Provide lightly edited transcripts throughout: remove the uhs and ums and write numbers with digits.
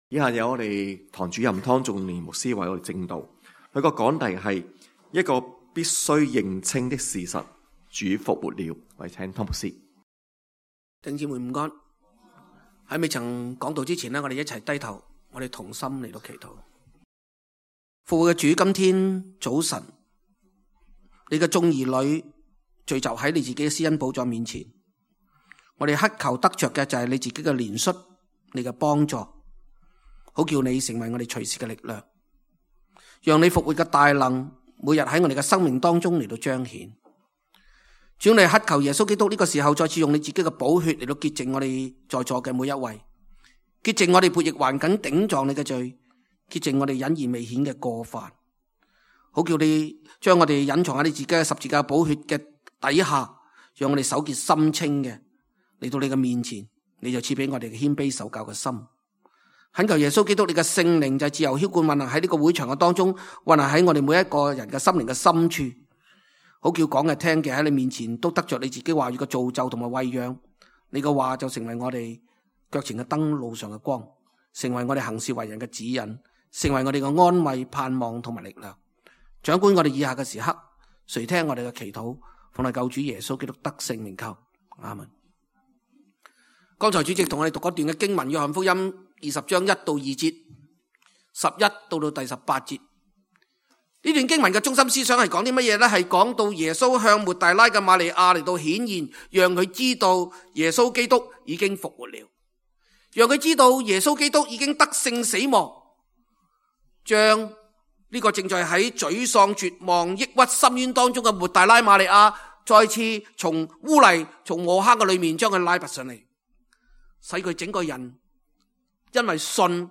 以下有我哋堂主任湯仲年牧師為我哋證道，佢個講題係一個必須認清的事實：主復活了。我哋請湯牧師。弟兄姊妹午安。喺未曾講道之前呢，我哋一齊低頭，我哋同心嚟到祈禱。復活嘅主，今天早晨，你嘅眾兒女聚集喺你自己嘅施恩寶座面前，我哋乞求得着嘅就係你自己嘅憐恤，你嘅幫助，好叫你成為我哋隨時嘅力量，讓你復活嘅大能每日喺我哋嘅生命當中嚟到彰顯。主，你乞求耶穌基督呢個時候再次用你自己嘅寶血嚟到潔淨我哋在座嘅每一位，潔淨我哋悖逆頑梗頂撞你嘅罪，潔淨我哋隱而未顯嘅過犯，好叫你將我哋隱藏喺你自己嘅十字架寶血嘅底下，讓我哋手潔心清嘅嚟到你嘅面前，你就賜俾我哋嘅謙卑受教嘅心。懇求耶穌基督，你嘅聖靈就自由澆灌運行喺呢個會場嘅當中，運行喺我哋每一個人嘅心靈嘅深處，好叫講嘅聽嘅喺你面前都得着你自己話語嘅造就同埋餵養。你嘅話就成為我哋腳前嘅燈，路上嘅光，成為我哋行事為人嘅指引，成為我哋嘅安慰、盼望同埋力量。掌管我哋以下嘅時刻，垂聽我哋嘅祈禱，奉我救主耶穌基督得勝名求，阿門。剛才主席同我哋讀嗰段嘅經文，約翰福音20章1到2節，11到第18節。呢段經文嘅中心思想係講啲乜嘢呢？係講到耶穌向抹大拉嘅瑪利亞嚟到顯現，讓佢知道耶穌基督已經復活了，讓佢知道耶穌基督已經得勝死亡，將呢個正在喺沮喪、絕望、抑鬱、深淵當中嘅抹大拉瑪利亞再次從污泥、從禍坑嘅裏面將佢拉拔上嚟，使佢整個人因為信，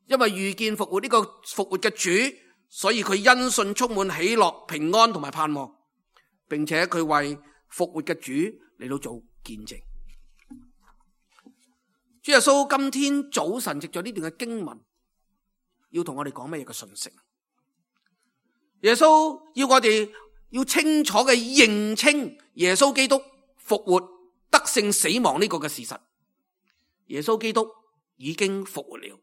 因為遇見復活呢個復活嘅主，所以佢因信充滿喜樂、平安同埋盼望，並且佢為復活嘅主嚟到做見證。主耶穌今天早晨藉咗呢段嘅經文，要同我哋講乜嘢嘅信息？耶穌要我哋要清楚嘅認清耶穌基督復活得勝死亡呢個嘅事實。耶穌基督已經復活了，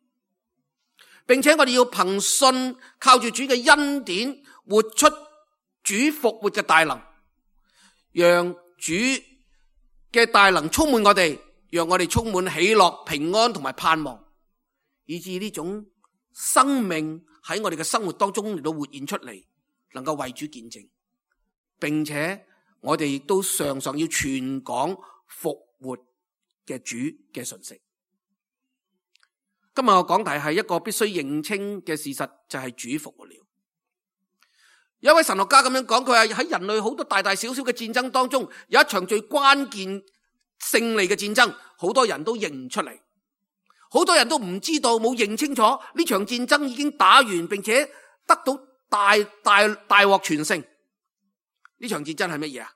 並且我哋要憑信靠住主嘅恩典，活出主復活嘅大能，讓主嘅大能充滿我哋，讓我哋充滿喜樂、平安同埋盼望，以致呢種生命喺我哋嘅生活當中嚟到活現出嚟，能夠為主見證，並且我哋亦都常常要傳講復活嘅主嘅信息。今日我講題係一個必須認清嘅事實，就係主復活了。有一位神學家咁樣講，佢話喺人類好多大大小小嘅戰爭當中，有一場最關鍵勝利嘅戰爭，好多人都認唔出嚟，好多人都唔知道，冇認清楚呢場戰爭已經打完，並且得到大獲全勝。呢場戰爭係乜嘢啊？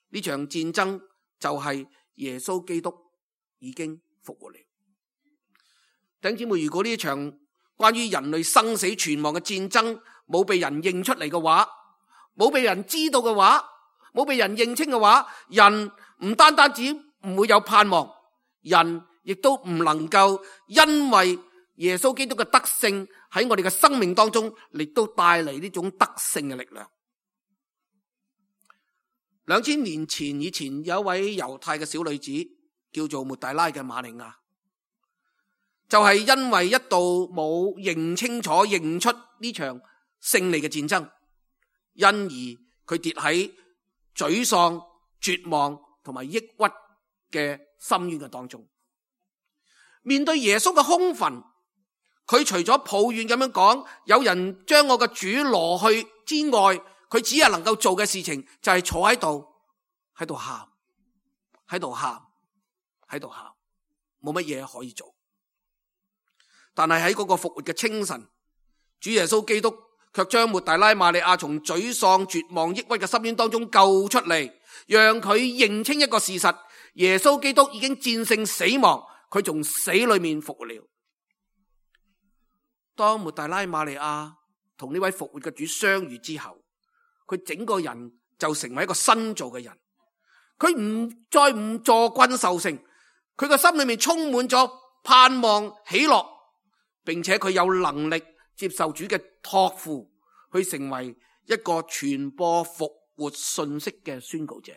呢場戰爭就係耶穌基督已經復活了。弟兄姊妹，如果呢場關於人類生死存亡嘅戰爭冇被人認出嚟嘅話，冇被人知道嘅話，冇被人認清嘅話，人唔單止唔會有盼望，人亦都唔能夠因為耶穌基督嘅得勝喺我哋嘅生命當中，亦都帶嚟呢種得勝嘅力量。2000年前以前有一位猶太嘅小女子叫做抹大拉嘅瑪利亞，就係因為一度冇認清楚認出呢場勝利嘅戰爭，因而佢跌喺沮喪、絕望同埋抑鬱嘅深淵嘅當中。面對耶穌嘅空墳，佢除咗抱怨咁樣講，有人將我嘅主攞去之外，佢只係能夠做嘅事情就係坐喺度喊，冇乜嘢可以做。但係喺嗰個復活嘅清晨，主耶穌基督卻將抹大拉瑪利亞從沮喪、絕望、抑鬱嘅深淵當中救出嚟，讓佢認清一個事實：耶穌基督已經戰勝死亡，佢從死裏面復活了。當抹大拉瑪利亞同呢位復活嘅主相遇之後，佢整個人就成為一個新造嘅人，佢再唔坐困受勝，佢個心裏面充滿咗盼望、喜樂，並且佢有能力接受主嘅託付，去成為一個傳播復活信息嘅宣告者。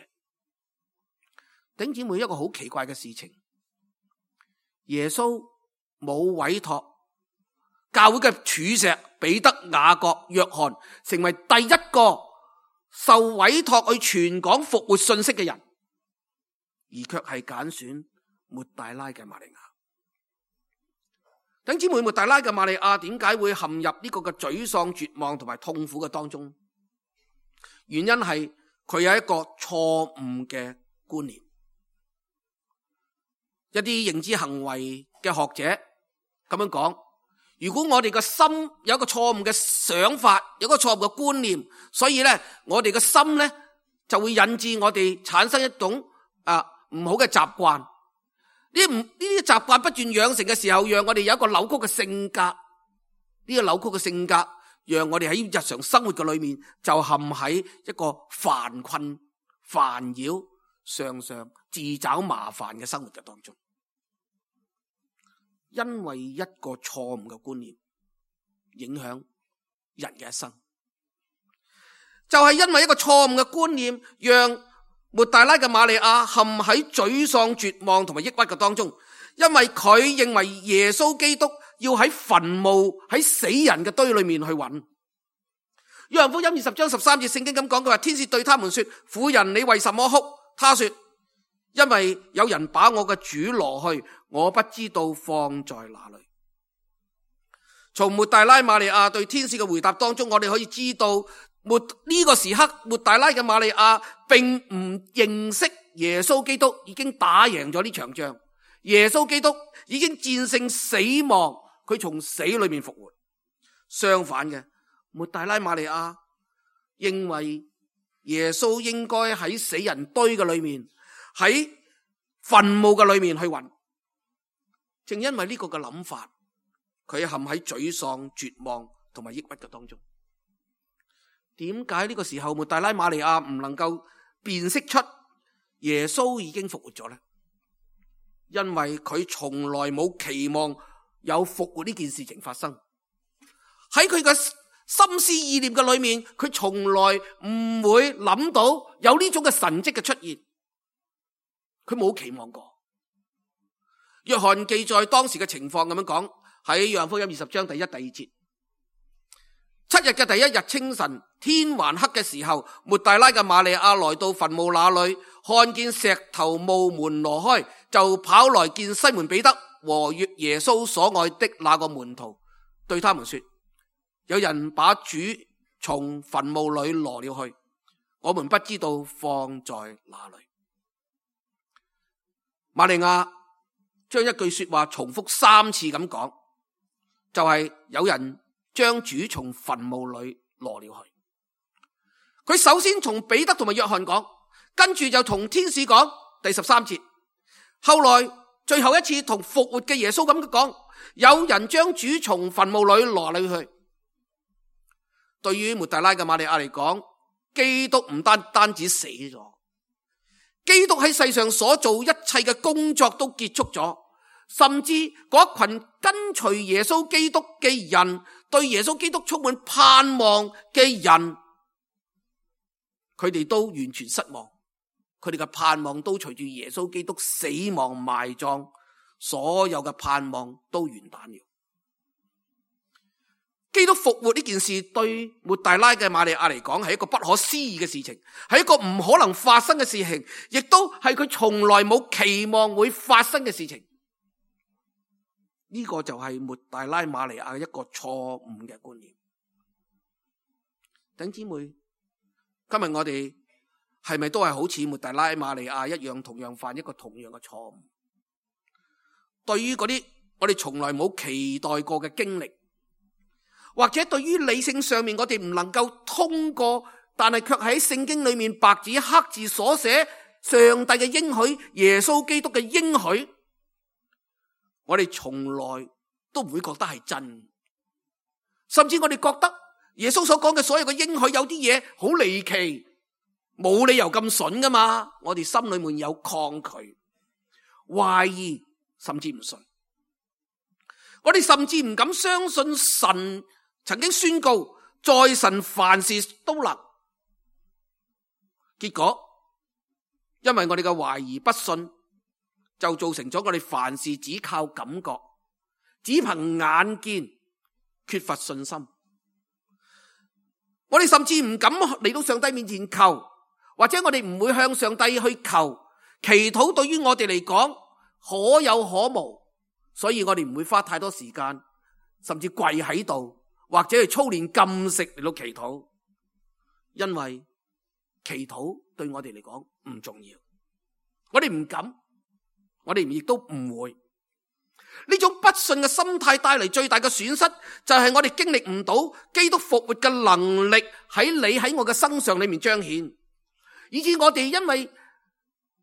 弟兄姊妹，一個好奇怪嘅事情，耶穌冇委託教會嘅柱石彼得、雅各、約翰成為第一個受委託去傳講復活信息嘅人，而卻係揀選抹大拉嘅瑪利亞。弟兄姊妹，抹大拉嘅瑪利亞點解會陷入呢個嘅沮喪、絕望同埋痛苦嘅當中？原因係佢有一個錯誤嘅觀念。一啲認知行為嘅學者咁樣講，如果我哋個心有一個錯誤嘅想法，有一個錯誤嘅觀念，所以咧我哋嘅心咧就會引致我哋產生一種唔好嘅習慣。呢啲習慣不斷養成嘅時候，讓我哋有一個扭曲嘅性格。呢個扭曲嘅性格，讓我哋喺日常生活嘅裏面就陷喺一個煩困、煩擾、常常自找麻煩嘅生活嘅當中。因為一個錯誤嘅觀念影響人嘅一生，就係因為一個錯誤嘅觀念，讓抹大拉嘅瑪利亞陷喺沮喪、絕望同埋抑鬱嘅當中。因為佢認為耶穌基督要喺墳墓、喺死人嘅堆裏面去揾。約翰福音20章13節聖經咁講，佢話天使對他們說：婦人，你為什麼哭？他說：因為有人把我嘅主攞去，我不知道放在哪裏。從抹大拉瑪利亞對天使嘅回答當中，我哋可以知道呢個時刻抹大拉嘅瑪利亞並唔認識耶穌基督已經打贏咗呢場仗，耶穌基督已經戰勝死亡，佢從死裏面復活。相反嘅，抹大拉瑪利亞認為耶穌應該喺死人堆嘅裏面，喺墳墓嘅裏面去揾。正因為呢個嘅諗法，佢陷喺沮喪、絕望同埋抑鬱嘅當中。點解呢個時候抹大拉瑪利亞唔能夠辨識出耶穌已經復活咗呢？因為佢從來冇期望有復活呢件事情發生。喺佢嘅心思意念嘅裏面，佢從來唔會諗到有呢種嘅神蹟嘅出現，佢冇期望過。約翰記載當時嘅情況咁樣講，喺約翰福音20章第1、第2節，7日嘅第1日清晨，天還黑嘅時候，抹大拉嘅瑪利亞來到墳墓那裏，看見石頭墓門挪開，就跑來見西門彼得和耶穌所愛的那個門徒，對他們說：有人把主從墳墓裏挪了去，我們不知道放在哪裏。瑪利亞將一句說話重複3次咁講，就係有人將主從墳墓裏挪了去。佢首先從彼得同埋約翰講，跟住就同天使講，第13節。後來最後一次同復活嘅耶穌咁講，有人將主從墳墓裏挪了去。對於抹大拉嘅瑪利亞嚟講，基督唔單止死咗，基督喺世上所做一切嘅工作都結束咗，甚至嗰一群跟隨耶穌基督嘅人，對耶穌基督充滿盼望嘅人，佢哋都完全失望，佢哋嘅盼望都隨住耶穌基督死亡埋葬，所有嘅盼望都完蛋了。基督復活呢件事對抹大拉嘅瑪利亞嚟講係一個不可思議嘅事情，係一個唔可能發生嘅事情，亦都係佢從來冇期望會發生嘅事情。呢個就係抹大拉瑪利亞嘅一個錯誤嘅觀念。弟兄姊妹，今日我哋係咪都係好似抹大拉瑪利亞一樣，同樣犯一個同樣嘅錯誤？對於嗰啲我哋從來冇期待過嘅經歷，或者對於理性上面我哋唔能夠通過，但係卻喺聖經裏面白紙黑字所寫上帝嘅應許，耶穌基督嘅應許，我哋從來都唔會覺得係真，甚至我哋覺得耶穌所講嘅所有嘅應許有啲嘢好離奇，冇理由咁筍噶嘛，我哋心裏面有抗拒、懷疑，甚至唔信。我哋甚至唔敢相信神曾經宣告，在神凡事都能。結果因為我哋嘅懷疑不信，就造成咗我哋凡事只靠感覺，只憑眼見，缺乏信心。我哋甚至唔敢嚟到上帝面前求，或者我哋唔會向上帝去求。祈禱對於我哋嚟講可有可無，所以我哋唔會花太多時間，甚至跪喺度或者係操練禁食嚟到祈禱，因為祈禱對我哋嚟講唔重要。我哋唔敢，我哋亦都唔會。呢種不信嘅心態帶嚟最大嘅損失，就係我哋經歷唔到基督復活嘅能力喺你喺我嘅身上裏面彰顯，以致我哋因為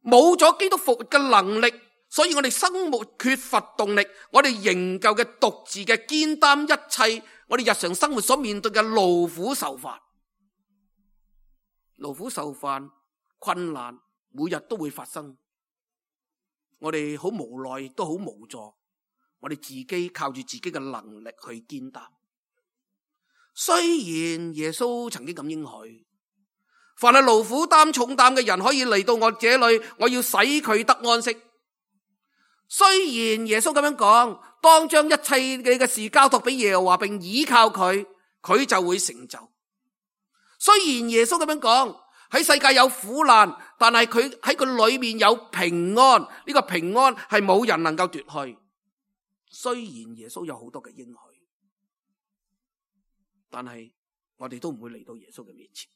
冇咗基督復活嘅能力，所以我哋生活缺乏動力，我哋仍舊嘅獨自嘅肩擔一切我哋日常生活所面對嘅勞苦受煩。勞苦受煩困難每日都會發生，我哋好無奈亦都好無助，我哋自己靠住自己嘅能力去肩擔。雖然耶穌曾經咁應許，凡係勞苦擔重擔嘅人可以嚟到我這裏，我要使佢得安息。雖然耶穌咁樣講，當將一切你嘅事交託俾耶和華，並倚靠佢，佢就會成就。雖然耶穌咁樣講，喺世界有苦難，但係佢喺佢裏面有平安，呢個平安係冇人能夠奪去。雖然耶穌有好多嘅應許，但係我哋都唔會嚟到耶穌嘅面前，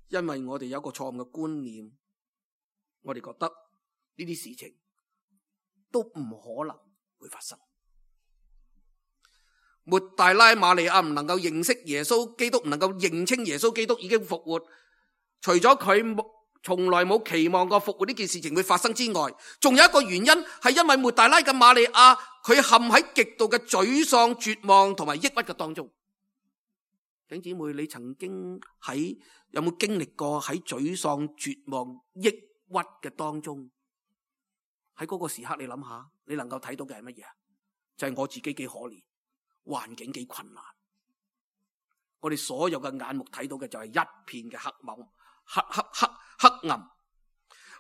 因為我哋有一個錯誤嘅觀念，我哋覺得呢啲事情都唔可能會發生。抹大拉瑪利亞唔能夠認識耶穌基督，唔能夠認清耶穌基督已經復活，除咗佢從來冇期望過復活呢件事情會發生之外，仲有一個原因係因為抹大拉嘅瑪利亞佢陷喺極度嘅沮喪、絕望同埋抑鬱嘅當中。弟兄姊妹，你曾經有冇經歷過喺沮喪、絕望、抑鬱嘅當中？喺嗰個時刻，你諗下，你能夠睇到嘅係乜嘢？就係我自己幾可憐，環境幾困難。我哋所有嘅眼目睇到嘅就係一片嘅黑暗。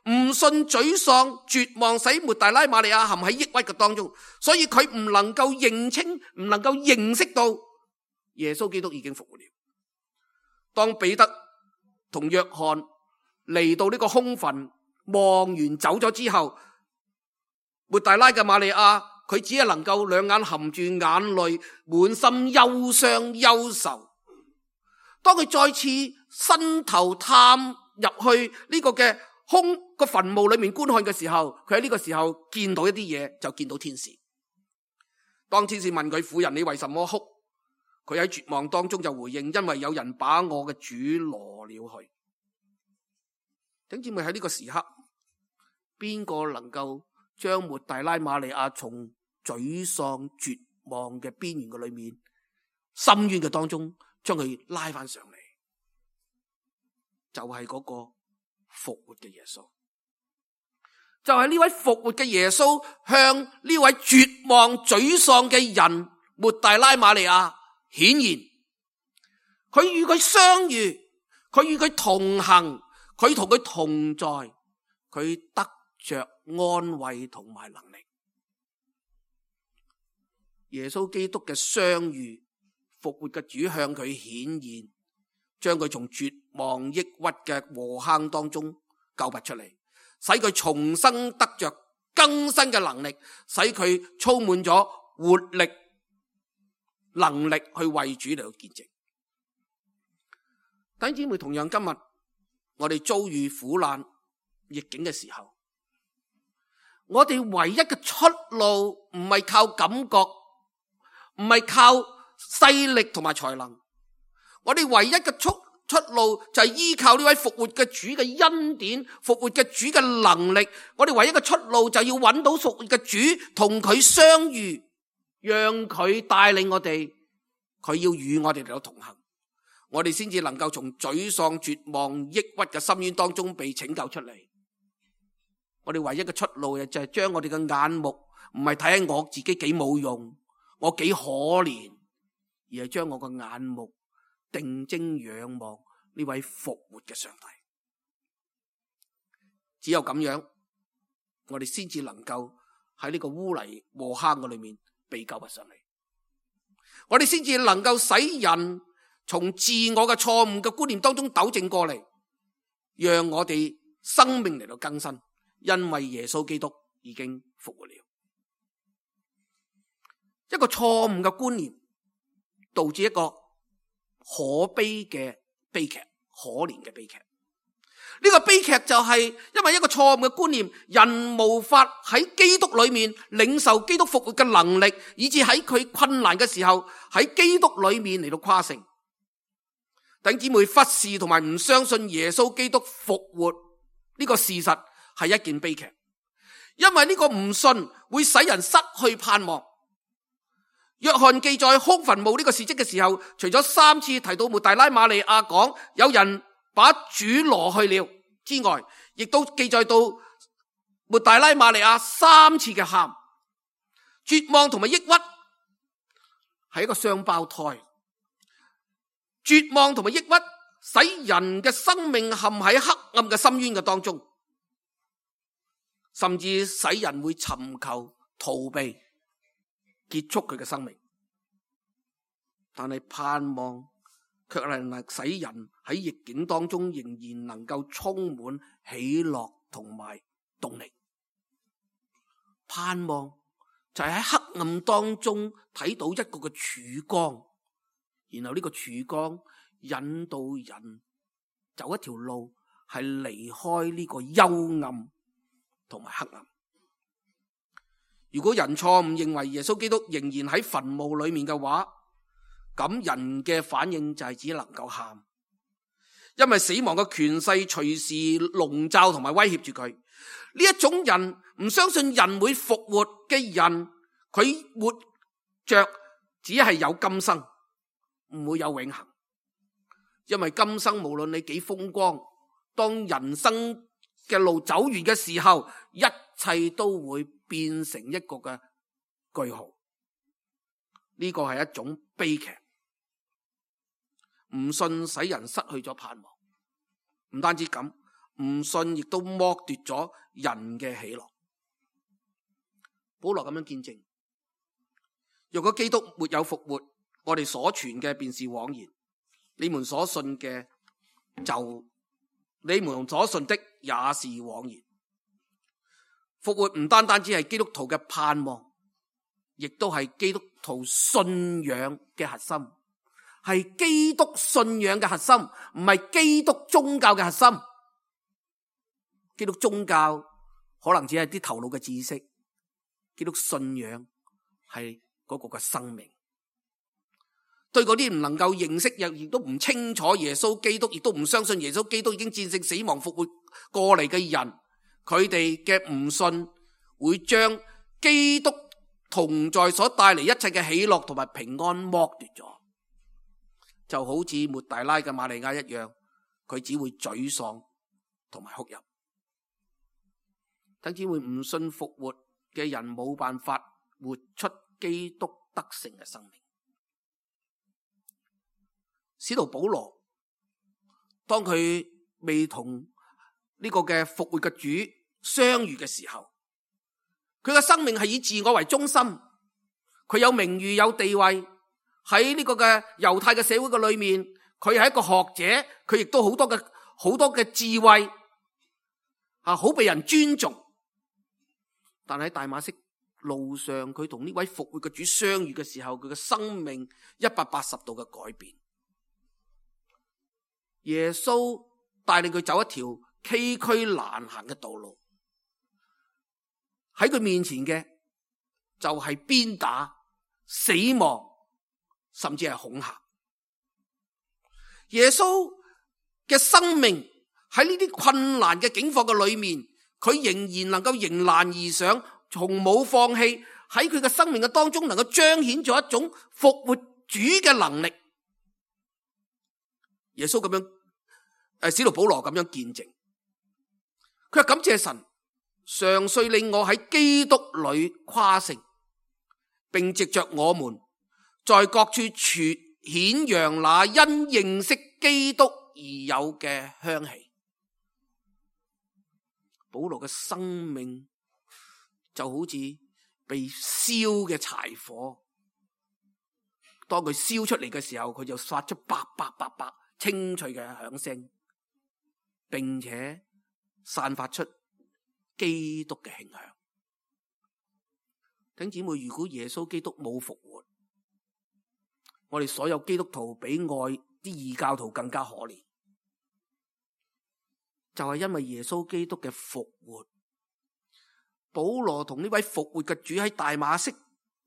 唔信、沮喪、絕望，使抹大拉瑪利亞陷喺抑鬱嘅當中，所以佢唔能夠認清，唔能夠認識到耶穌基督已經復活了。當彼得同約翰嚟到呢個空墳，望完走咗之後，抹大拉嘅瑪利亞佢只係能夠兩眼含住眼淚，滿心憂傷憂愁。當佢再次伸頭探入去呢個嘅個墳墓裏面觀看嘅時候，佢喺呢個時候見到一啲嘢，就見到天使。當天使問佢，婦人，你為什麼哭？佢喺絕望當中就回應，因為有人把我嘅主攞了去。弟兄姊妹，喺呢個時刻，邊個能夠將抹大拉瑪利亞從沮喪絕望嘅邊緣嘅裏面，深淵嘅當中將佢拉翻上嚟？就係嗰個復活嘅耶穌，就係呢位復活嘅耶穌向呢位絕望沮喪嘅人抹大拉瑪利亞顯現，佢與佢相遇，佢與佢同行，佢同佢同在，佢得着安慰同埋能力。耶穌基督嘅相遇，復活嘅主向佢顯現，將佢從絕望抑鬱嘅禍坑當中救拔出嚟，使佢重生得着更新嘅能力，使佢充滿咗活力能力去為主嚟到見證。弟兄姊妹，同樣今日我哋遭遇苦難逆境嘅時候，我哋唯一嘅出路唔係靠感覺，唔係靠勢力同埋才能，我哋唯一嘅出路就係依靠呢位復活嘅主嘅恩典，復活嘅主嘅能力。我哋唯一嘅出路就要揾到復活嘅主，同佢相遇，讓佢帶領我哋，佢要與我哋嚟到同行，我哋先至能夠從沮喪、絕望、抑鬱嘅深淵當中被拯救出嚟。我哋唯一嘅出路就係將我哋嘅眼目唔係睇喺我自己幾冇用，我幾可憐，而係將我個眼目定睛仰望呢位復活嘅上帝。只有咁樣，我哋先至能夠喺呢個污泥禍坑嘅裏面被救拔上嚟。我哋先至能夠使人從自我嘅錯誤嘅觀念當中糾正過嚟，讓我哋生命嚟到更新，因為耶穌基督已經復活了。一個錯誤嘅觀念導致一個可悲嘅悲劇，可憐嘅悲劇。呢個悲劇就係因為一個錯誤嘅觀念，人無法喺基督裏面領受基督復活嘅能力，以致喺佢困難嘅時候喺基督裏面嚟到誇勝。弟兄姊妹，忽視同埋唔相信耶穌基督復活呢個事實係一件悲劇，因為呢個唔信會使人失去盼望。約翰記載空墳墓呢個事蹟嘅時候，除咗3次提到抹大拉瑪利亞講有人把主挪去了之外，亦都記載到抹大拉瑪利亞3次嘅喊，絕望同埋抑鬱係一個雙胞胎。絕望同埋抑鬱使人嘅生命陷喺黑暗嘅深淵嘅當中，甚至使人會尋求逃避結束佢嘅生命。但係盼望卻係使人喺逆境當中仍然能夠充滿喜樂同埋動力。盼望就係喺黑暗當中睇到一個嘅曙光，然後呢個曙光引導人走一條路，係離開呢個幽暗同埋黑暗。如果人錯誤認為耶穌基督仍然喺墳墓裏面嘅話，咁人嘅反應就係只能夠喊，因為死亡嘅權勢隨時籠罩同埋威脅住佢。呢一種人唔相信人會復活嘅人，佢活着只係有今生，唔會有永恆。因為今生無論你幾風光，當人生嘅路走完嘅時候，一切都會變成一個嘅句號。呢個係一種悲劇。唔信使人失去咗盼望，唔單止咁，唔信亦都剝奪咗人嘅喜樂。保羅咁樣見證，若果基督沒有復活，我哋所傳嘅便是枉然，你們所信的也是枉然。復活唔單單只係基督徒嘅盼望，亦都係基督徒信仰嘅核心，係基督信仰嘅核心，唔係基督宗教嘅核心。基督宗教可能只係啲頭腦嘅知識，基督信仰係嗰個嘅生命。對嗰啲唔能夠認識亦都唔清楚耶穌基督，亦都唔相信耶穌基督已經戰勝死亡復活過嚟嘅人，佢哋嘅唔信會將基督同在所帶嚟一切嘅喜樂同埋平安剝奪咗，就好似抹大拉嘅瑪利亞一樣，佢只會沮喪同埋哭泣。等只會唔信復活嘅人冇辦法活出基督得勝嘅生命。使徒保羅當佢未同呢個嘅復活嘅主相遇嘅時候，佢嘅生命係以自我為中心，佢有名譽有地位，喺呢個嘅猶太嘅社會嘅裏面，佢係一個學者，佢亦都好多嘅智慧，好被人尊重。但喺大馬色路上，佢同呢位復活嘅主相遇嘅時候，佢嘅生命180度嘅改變。耶穌帶領佢走一條崎嶇難行嘅道路，喺佢面前嘅就係鞭打、死亡，甚至係恐嚇。耶穌嘅生命喺呢啲困難嘅境況嘅裏面，佢仍然能夠迎難而上，從冇放棄，喺佢嘅生命嘅當中能夠彰顯咗一種復活主嘅能力。耶穌咁樣，使徒保羅咁樣見證，佢話感謝神，常遂令我喺基督裏誇勝，並藉着我們在各處傳顯揚那因認識基督而有嘅香氣。保羅嘅生命就好似被燒嘅柴火，當佢燒出嚟嘅時候，佢就發出叭叭叭叭清脆嘅響聲，並且散發出基督嘅馨香。弟兄姊妹，如果耶穌基督冇復活，我哋所有基督徒比外啲異教徒更加可憐，就係因為耶穌基督嘅復活。保羅同呢位復活嘅主喺大馬色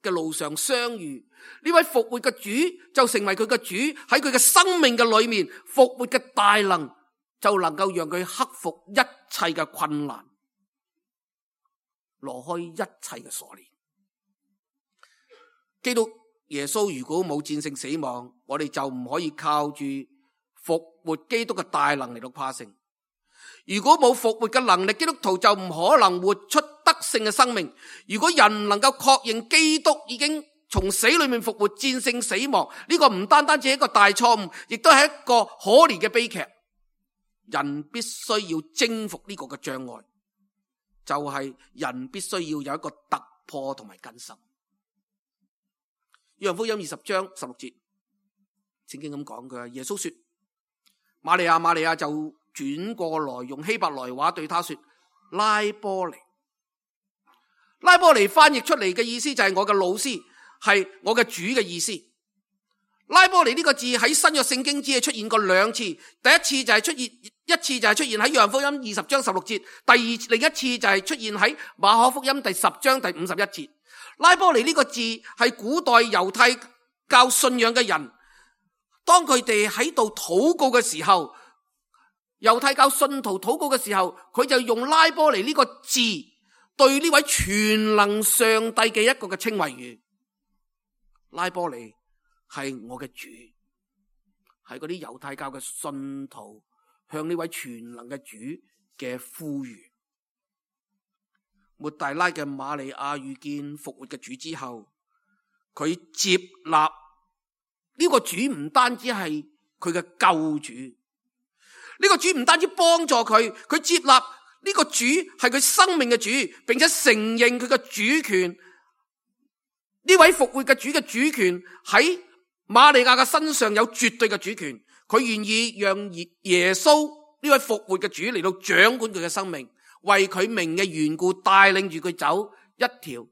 嘅路上相遇，呢位復活嘅主就成為佢嘅主，喺佢嘅生命嘅裏面，復活嘅大能就能夠讓佢克服一切嘅困難，挪開一切嘅鎖鏈。基督耶穌如果冇戰勝死亡，我哋就唔可以靠住復活基督嘅大能嚟到誇勝。如果冇復活嘅能力，基督徒就唔可能活出得勝嘅生命。如果人能夠確認基督已經從死裏面復活，戰勝死亡，呢個唔單單只係一個大錯誤，亦都係一個可憐嘅悲劇。人必須要征服呢個嘅障礙，就係人必須要有一個突破同埋更新。約翰福音20章16節，聖經咁講嘅，耶穌說：瑪利亞，瑪利亞，就轉過來用希伯來話對他說：拉波尼。拉波尼翻譯出嚟嘅意思就係我嘅老師，係我嘅主嘅意思。拉波尼呢個字喺新約聖經只係出現過兩次，第一次就係出現喺約翰福音20章16節，另一次就係出現喺馬可福音第10章第51節。拉波尼呢個字係古代猶太教信仰嘅人，當佢哋喺度禱告嘅時候，猶太教信徒禱告嘅時候，佢就用拉波尼呢個字對呢位全能上帝嘅一個嘅稱謂語。拉波尼係我嘅主，係嗰啲猶太教嘅信徒向呢位全能嘅主嘅呼籲。抹大拉嘅瑪利亞遇見復活嘅主之後，佢接納呢個主，唔單止係佢嘅救主，呢個主唔單止幫助佢，佢接納呢個主係佢生命嘅主，並且承認佢嘅主權。呢位復活嘅主嘅主權喺瑪利亞嘅身上有絕對嘅主權，佢願意讓耶穌呢位復活嘅主嚟到掌管佢嘅生命，為佢名嘅緣故帶領住佢走一條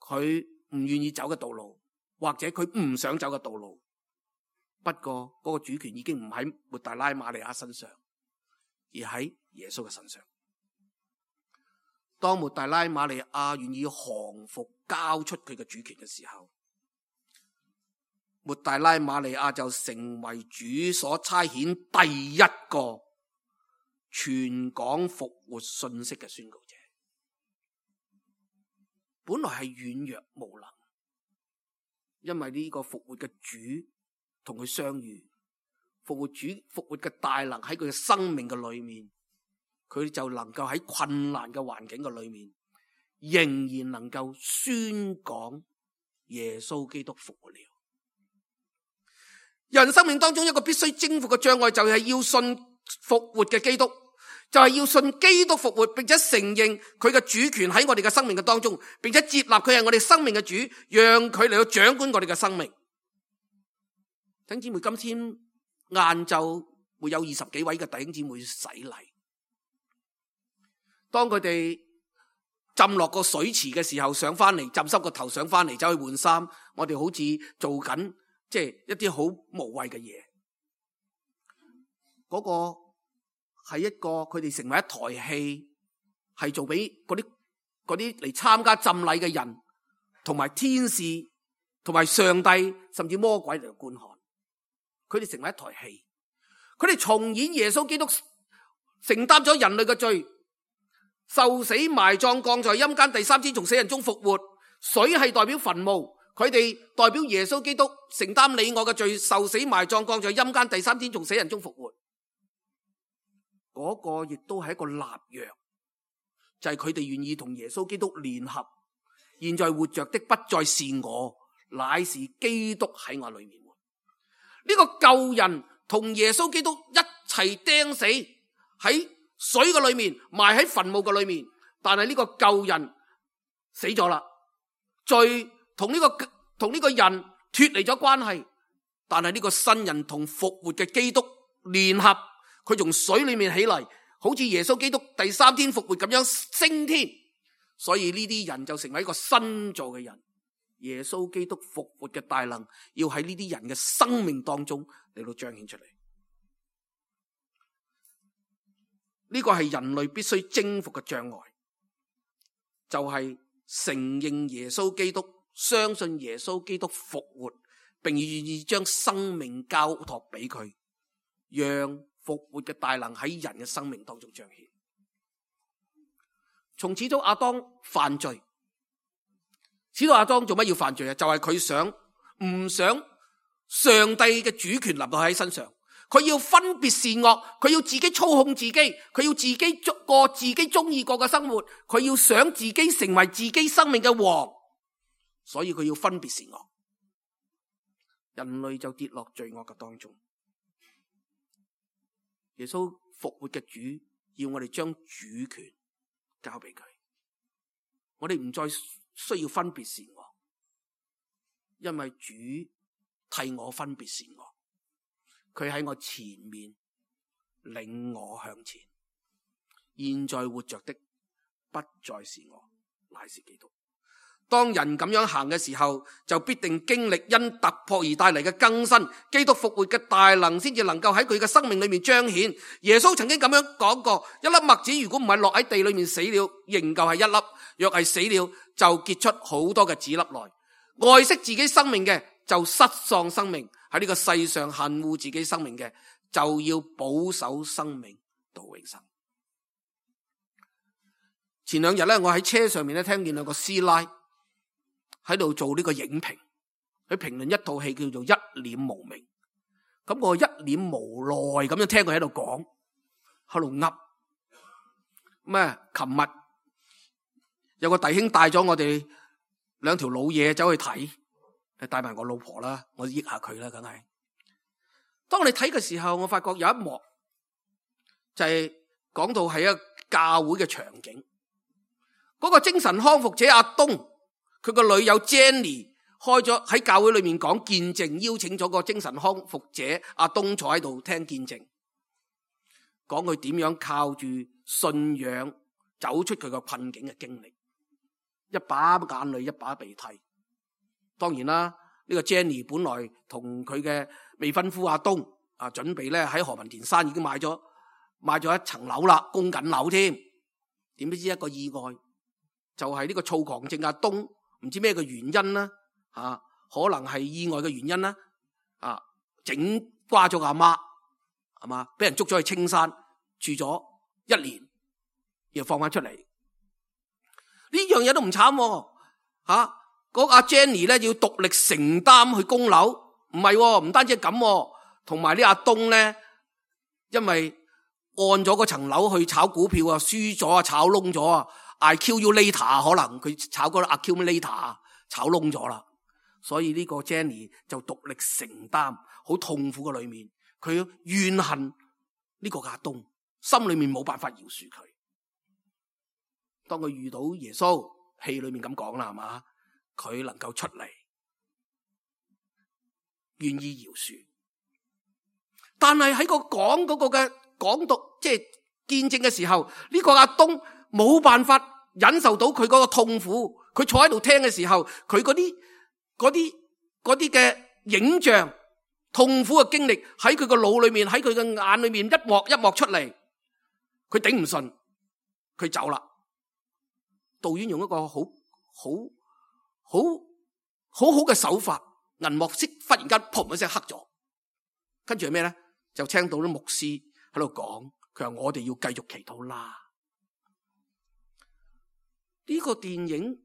佢唔願意走嘅道路，或者佢唔想走嘅道路。不過嗰個主權已經唔喺抹大拉瑪利亞身上，而喺耶穌嘅身上。當抹大拉瑪利亞願意降服交出佢嘅主權嘅時候，抹大拉瑪利亞就成為主所差遣第一個傳講復活信息嘅宣告者。本來係軟弱無能，因為呢個復活嘅主同佢相遇，復活嘅大能喺佢嘅生命嘅裏面，佢就能夠喺困難嘅環境嘅裏面，仍然能夠宣講耶穌基督復活了。人生命當中一個必須征服嘅障礙，就係要信復活嘅基督，就係要信基督復活，並且承認佢嘅主權喺我哋嘅生命嘅當中，並且接納佢係我哋生命嘅主，讓佢嚟到掌管我哋嘅生命。弟兄姊妹，今天晏晝會有20幾位嘅弟兄姊妹洗禮，當佢哋浸落個水池嘅時候，上翻嚟浸濕個頭，上翻嚟走去換衫，我哋好似做緊即係一啲好無謂嘅嘢。嗰個係一個佢哋成為一台戲，係做俾嗰啲嚟參加浸禮嘅人，同埋天使，同埋上帝，甚至魔鬼嚟觀看。佢哋成為一台戲，佢哋重演耶穌基督承擔咗人類嘅罪，受死埋葬，降在陰間，第3天從死人中復活。水係代表墳墓，佢哋代表耶穌基督承擔你我嘅罪，受死埋葬，降在陰間，第3天從死人中復活。嗰個亦都係一個立約，就係佢哋願意同耶穌基督聯合。現在活着的不再是我，乃是基督喺我裏面。呢個舊人同耶穌基督一齊釘死喺水嘅裏面，埋喺墳墓嘅裏面。但係呢個舊人死咗啦，罪同呢個人脫離咗關係。但係呢個新人同復活嘅基督聯合，佢從水裏面起嚟，好似耶穌基督第3天復活咁樣升天。所以呢啲人就成為一個新造嘅人。耶穌基督復活嘅大能要喺呢啲人嘅生命當中嚟到彰顯出嚟。呢個係人類必須征服嘅障礙，就係承認耶穌基督，相信耶穌基督復活，並願意將生命交託俾佢，讓復活嘅大能喺人嘅生命當中彰顯。從始祖亞當犯罪，始祖亞當做乜要犯罪啊？就係佢唔想上帝嘅主權立到喺身上，佢要分別善惡，佢要自己操控自己，佢要自己過自己中意過嘅生活，佢要想自己成為自己生命嘅王，所以佢要分別善惡。人類就跌落罪惡嘅當中。耶穌復活嘅主要我哋將主權交俾佢，我哋唔再需要分別善惡，因為主替我分別善惡，佢喺我前面領我向前。現在活着的不再是我，乃是基督。當人咁樣行嘅時候，就必定經歷因突破而帶嚟嘅更新。基督復活嘅大能先至能夠喺佢嘅生命裏面彰顯。耶穌曾經咁樣講過，一粒麥子如果唔係落喺地裏面死了，仍舊係一粒；若係死了，就結出好多嘅子粒來。愛惜自己生命嘅，就失喪生命；喺呢個世上恨惡自己生命嘅，就要保守生命到永生。前兩日咧，我喺車上面咧聽見兩個師奶喺度做呢個影評，佢評論一套戲叫做《一臉無名》。咁我一臉無奈咁樣聽佢喺度講，喺度噏。咩？琴日有個弟兄帶咗我哋兩條老嘢走去睇，帶埋我老婆啦，我益下佢啦，梗係。當我哋睇嘅時候，我發覺有一幕就係講到係一個教會嘅場景。嗰個精神康復者阿東，佢個女友 Jenny 開咗喺教會裏面講見證，邀請咗個精神康復者阿東坐喺度聽見證，講佢點樣靠住信仰走出佢個困境嘅經歷，一把眼淚一把鼻涕。當然啦，呢個 Jenny 本來同佢嘅未婚夫阿東準備咧喺何文田山已經買咗一層樓啦，供緊樓添。點知一個意外，就係呢個躁狂症阿東唔知咩嘅原因啦，可能係意外嘅原因啦，整瓜咗阿媽，係嘛，俾人捉咗去青山住咗1年，又放翻出嚟。呢樣嘢都唔慘，嗰阿 Jenny 咧要獨力承擔去供樓，唔係，唔單止係咁，同埋呢阿東咧，因為按咗嗰層樓去炒股票啊，輸咗啊，炒窿咗啊。I kill you later， 可能佢炒嗰個 accumulator 炒窿咗啦，所以呢個 Jenny 就獨力承擔，好痛苦嘅裏面，佢怨恨呢個阿東，心裏面冇辦法饒恕佢。當佢遇到耶穌，戲裏面咁講啦，係嘛，佢能夠出嚟，願意饒恕。但係喺個講嗰個嘅講讀，即係見證嘅時候，呢個阿東冇辦法忍受到佢嗰個痛苦，佢坐喺度聽嘅時候，佢嗰啲嘅影像、痛苦嘅經歷喺佢個腦裏面，喺佢嘅眼裏面一幕一幕出嚟，佢頂唔順，佢走啦。導演用一個好嘅手法，銀幕色忽然間砰一聲黑咗，跟住係咩咧？就聽到啲牧師喺度講，佢話我哋要繼續祈禱啦。呢個電影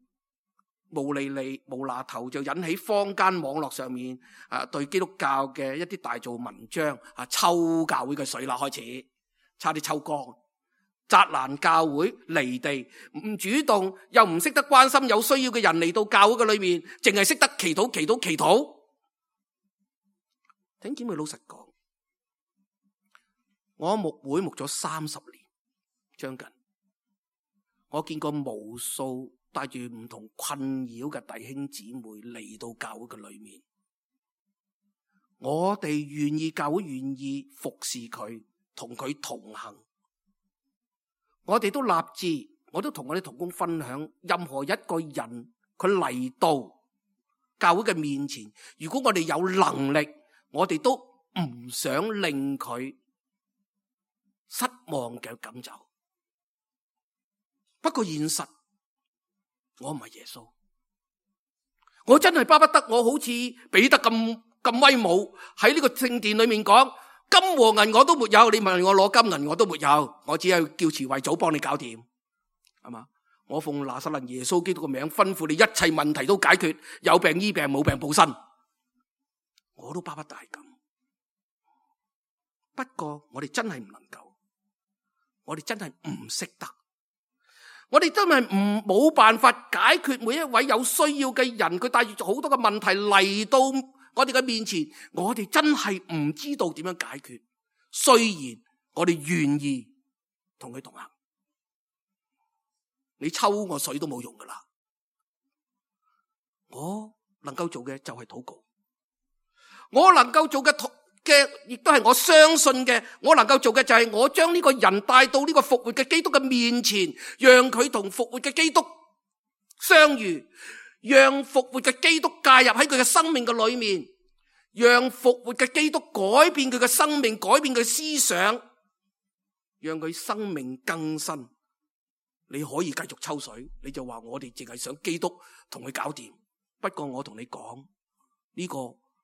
無厘厘無厘頭就引起坊間網絡上面對基督教嘅一啲大做文章，抽教會嘅水啦，開始差啲抽乾。砸爛教會，離地，唔主動又唔識得關心有需要嘅人嚟到教會嘅裏面，淨係識得祈禱。弟兄姊妹，老實講，我牧會牧咗30年，將近，我見過無數帶住唔同困擾嘅弟兄姊妹嚟到教會嘅裏面，我哋願意，教會願意服侍佢，同佢同行。我哋都立志，我都同我哋同工分享，任何一個人佢嚟到教會嘅面前，如果我哋有能力，我哋都唔想令佢失望嘅咁走。不過現實，我唔係耶穌，我真係巴不得我好似彼得咁威武，喺呢個聖殿裏面講，金和銀我都沒有，你問我攞金銀我都沒有，我只係叫慈惠祖幫你搞掂，係嘛？我奉拿撒勒耶穌基督嘅名吩咐你，一切問題都解決，有病醫病，冇病報身，我都巴不得係咁。不過我哋真係唔能夠，我哋真係唔識得，我哋真係冇辦法解決每一位有需要嘅人，佢帶住好多嘅問題嚟到我哋嘅面前，我哋真係唔知道點樣解決。雖然我哋願意同佢同行，你抽我水都冇用噶啦。我能夠做嘅就係禱告，我能夠做嘅亦都係我相信嘅。我能夠做嘅就係我將呢個人帶到呢個復活嘅基督嘅面前，讓佢同復活嘅基督相遇，讓復活嘅基督介入喺佢嘅生命嘅裏面，讓復活嘅基督改變佢嘅生命，改變佢思想，讓佢生命更新。你可以繼續抽水，你就話我哋淨係想基督同佢搞掂。不過我同你講，呢個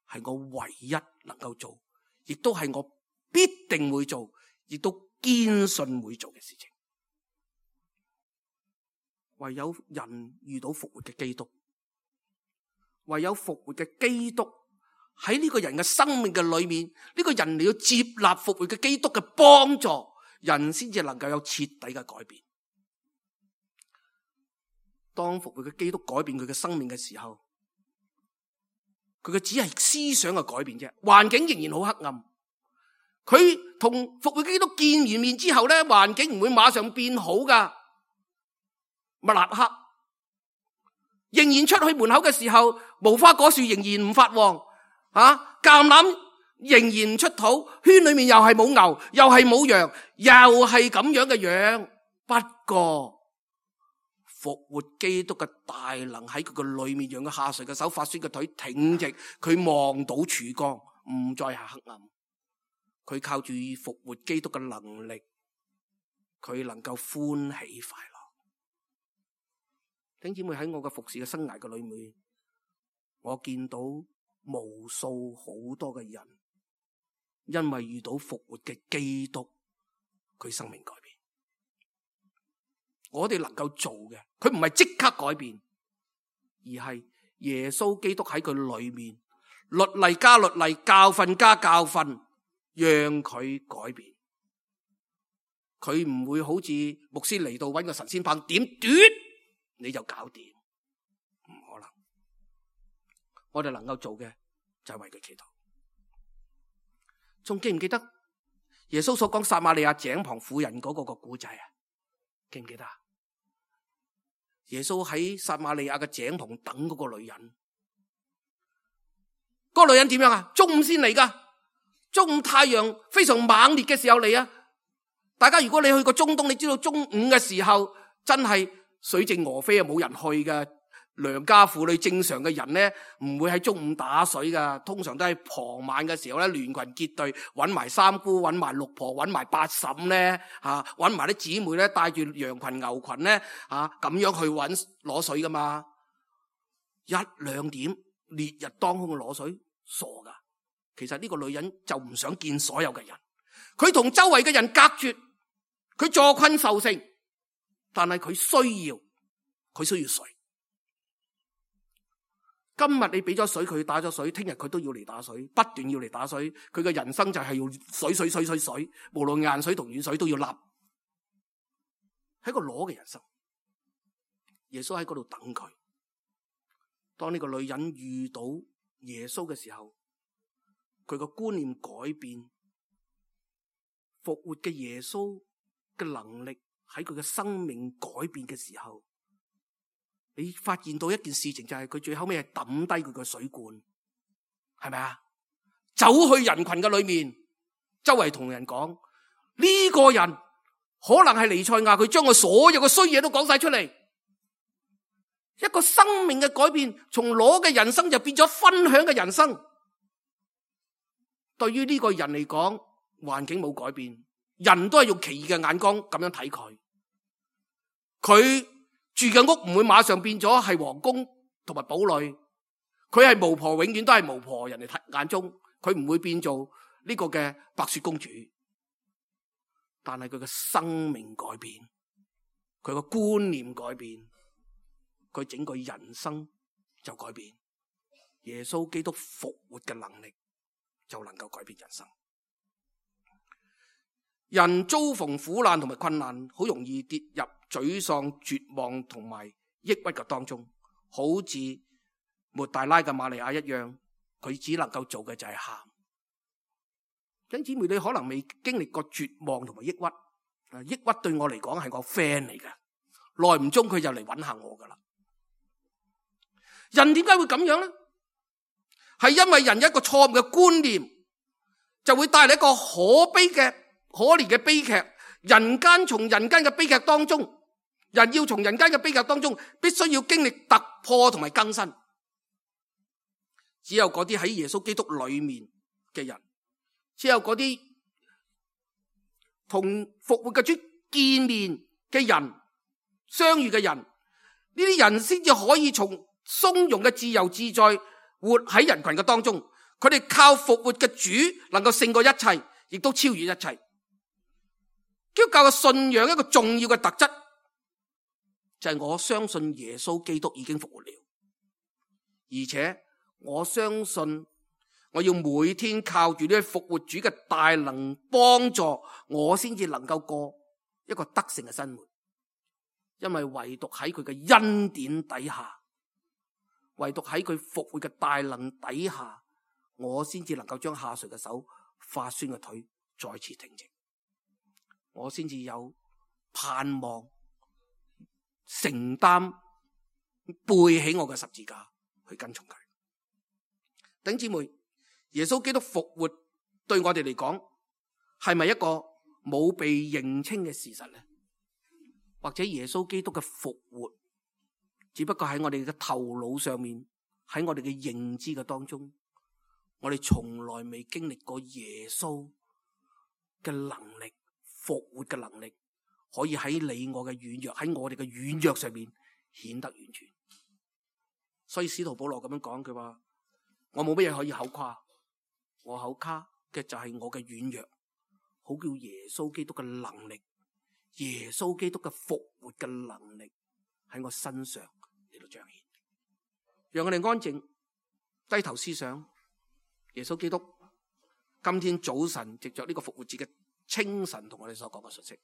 係我唯一能夠做，亦都係我必定會做，亦都堅信會做嘅事情。唯有人遇到復活嘅基督，唯有復活嘅基督喺呢個人嘅生命嘅裏面，呢個人你要接納復活嘅基督嘅幫助，人先至能夠有徹底嘅改變。當復活嘅基督改變佢嘅生命嘅時候，佢嘅只係思想嘅改變啫，環境仍然好黑暗。佢同復活基督見完面之後咧，環境唔會馬上變好噶。咪立刻仍然出去門口嘅時候，無花果樹仍然唔發旺，橄欖仍然唔出土，圈裏面又係冇牛，又係冇羊，又係咁樣嘅樣。不過復活基督嘅大能喺佢嘅裏面，讓佢下垂嘅手，發酸嘅腿挺直，佢望到曙光，唔再係黑暗。佢靠住復活基督嘅能力，佢能夠歡喜快樂。弟兄姊妹，喺我嘅服侍嘅生涯嘅裏面，我見到無數好多嘅人，因為遇到復活嘅基督，佢生命改變。我哋能夠做嘅，佢唔係即刻改變，而係耶穌基督喺佢裏面，律例加律例，教訓加教訓，讓佢改變。佢唔會好似牧師嚟到搵個神仙棒點斷你就搞掂，唔可能。我哋能夠做嘅就係為佢祈禱。仲記唔記得耶穌所講撒瑪利亞井旁婦人嗰個故仔啊？記唔記得啊？耶穌喺撒瑪利亞嘅井旁等嗰個女人，嗰個女人點樣啊？中午先嚟噶，中午太陽非常猛烈嘅時候嚟啊！大家如果你去過中東，你知道中午嘅時候真係水靜鵝飛啊，冇人去嘅。良家婦女正常嘅人咧，唔會喺中午打水噶，通常都係傍晚嘅時候咧，聯群結隊，搵埋三姑，搵埋六婆，搵埋八嬸咧，搵埋啲姊妹咧，帶住羊群牛群咧，咁樣去攞水噶嘛。1、2點烈日當空攞水，傻噶。其實呢個女人就唔想見所有嘅人，佢同周圍嘅人隔絕，佢坐困受成，但係佢需要水。今日你俾咗水佢打咗水，聽日佢都要嚟打水，不斷要嚟打水。佢嘅人生就係要水，無論硬水同軟水都要立。係一個裸嘅人生。耶穌喺嗰度等佢。當呢個女人遇到耶穌嘅時候，佢個觀念改變，復活嘅耶穌嘅能力喺佢嘅生命改變嘅時候，你發現到一件事情，就係佢最後尾係抌低佢個水罐，係咪啊？走去人群嘅裏面，周圍同人講呢個人可能係彌賽亞，佢將佢所有嘅衰嘢都講晒出嚟。一個生命嘅改變，從裸嘅人生就變咗分享嘅人生。對於呢個人嚟講，環境冇改變，人都係用奇異嘅眼光咁樣睇佢。佢住嘅屋唔會馬上變咗係皇宮同埋堡壘，佢係巫婆，永遠都係巫婆，人哋睇眼中佢唔會變做呢個嘅白雪公主。但係佢嘅生命改變，佢個觀念改變，佢整個人生就改變。耶穌基督復活嘅能力就能夠改變人生。人遭逢苦難同埋困難，好容易跌入沮喪、絕望同埋抑鬱嘅當中，好似抹大拉嘅瑪利亞一樣，佢只能夠做嘅就係喊。弟兄姊妹，你可能未經歷過絕望同埋抑鬱，抑鬱對我嚟講係我 friend 嚟嘅，耐唔中佢就嚟揾下我噶啦。人點解會咁樣呢？係因為人有一個錯誤嘅觀念，就會帶嚟一個可憐嘅悲劇。從人間嘅悲劇當中，人要從人間嘅悲劇當中，必須要經歷突破同埋更新。只有嗰啲喺耶穌基督裏面嘅人，只有嗰啲同復活嘅主見面嘅人，相遇嘅人，呢啲人先至可以從鬆容嘅自由自在活喺人群嘅當中。佢哋靠復活嘅主能夠勝過一切，亦都超越一切。基督教嘅信仰一個重要嘅特質就係我相信耶穌基督已經復活了，而且我相信我要每天靠住呢位復活主嘅大能幫助我，先至能夠過一個得勝嘅生活。因為唯獨喺佢嘅恩典底下，唯獨喺佢復活嘅大能底下，我先至能夠將下垂嘅手、發酸嘅腿再次挺直，我先至有盼望承擔背起我嘅十字架去跟從佢。弟兄姊妹，耶穌基督復活對我哋嚟講係咪一個冇被認清嘅事實呢？或者耶穌基督嘅復活只不過喺我哋嘅頭腦上面，喺我哋嘅認知嘅當中，我哋從來未經歷過耶穌嘅能力，復活嘅能力可以喺你我嘅軟弱，喺我哋嘅軟弱上面顯得完全。所以使徒保羅咁樣講，佢話我冇乜嘢可以口誇，我口誇嘅就係我嘅軟弱，好叫耶穌基督嘅能力，耶穌基督嘅復活嘅能力喺我身上嚟到彰顯。讓我哋安靜低頭思想耶穌基督今天早晨藉着呢個復活節嘅清晨同我哋所講嘅信息。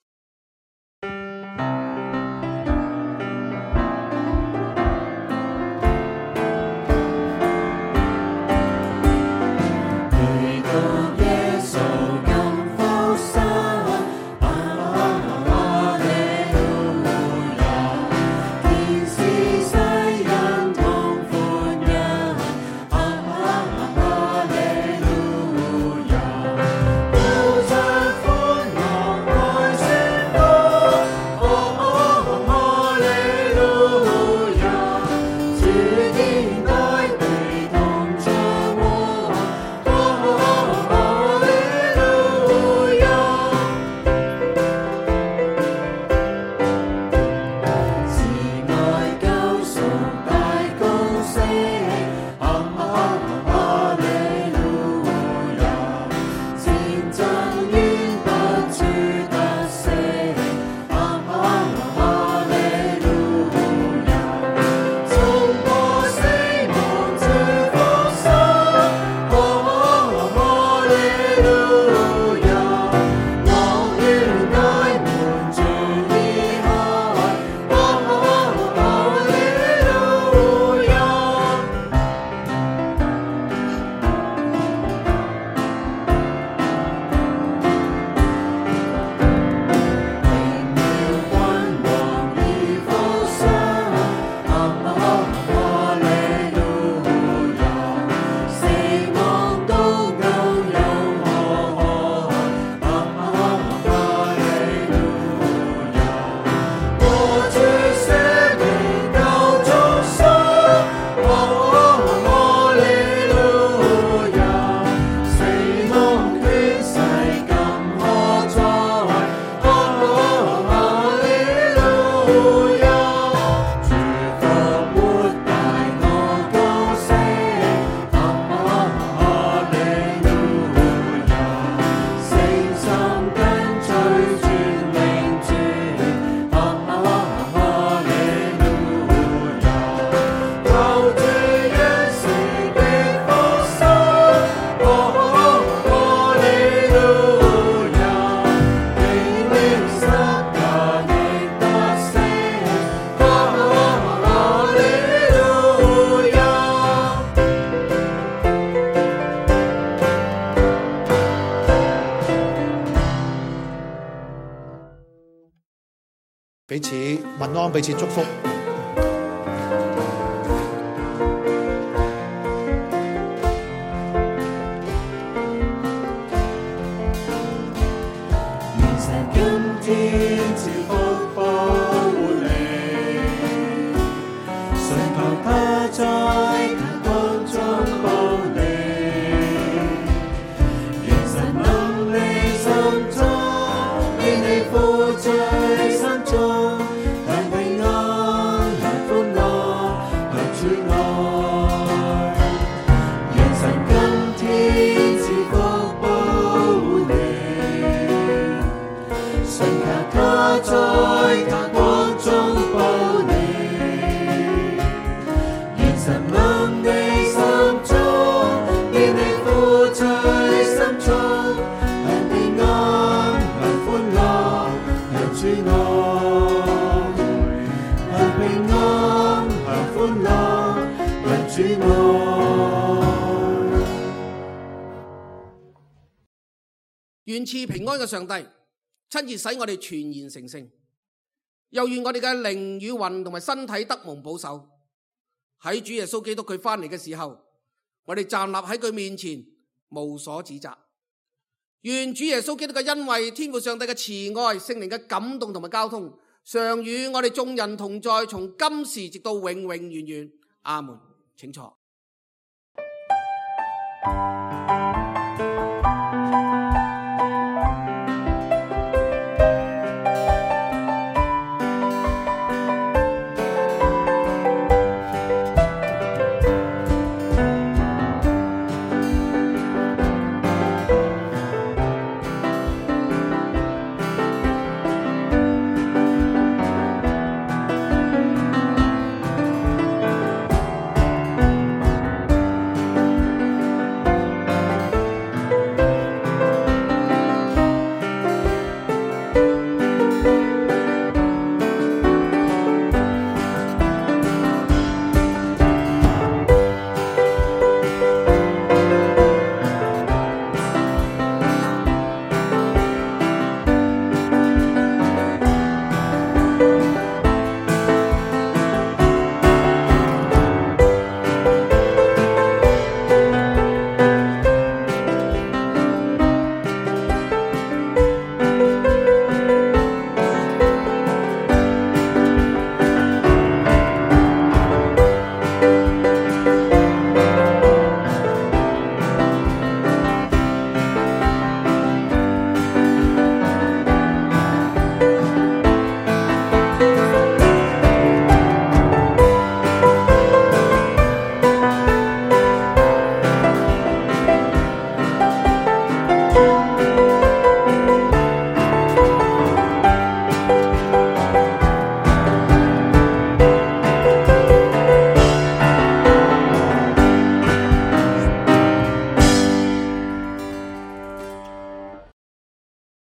彼此問安，彼此祝福。願賜平安嘅上帝親自使我哋全然成聖，又願我哋嘅靈與魂同埋身體得蒙保守。喺主耶穌基督佢翻嚟嘅時候，我哋站立喺佢面前無所指責。願主耶穌基督嘅恩惠、天父上帝嘅慈愛、聖靈嘅感動同埋交通，常與我哋眾人同在，從今時直到永永遠遠。阿門。請坐。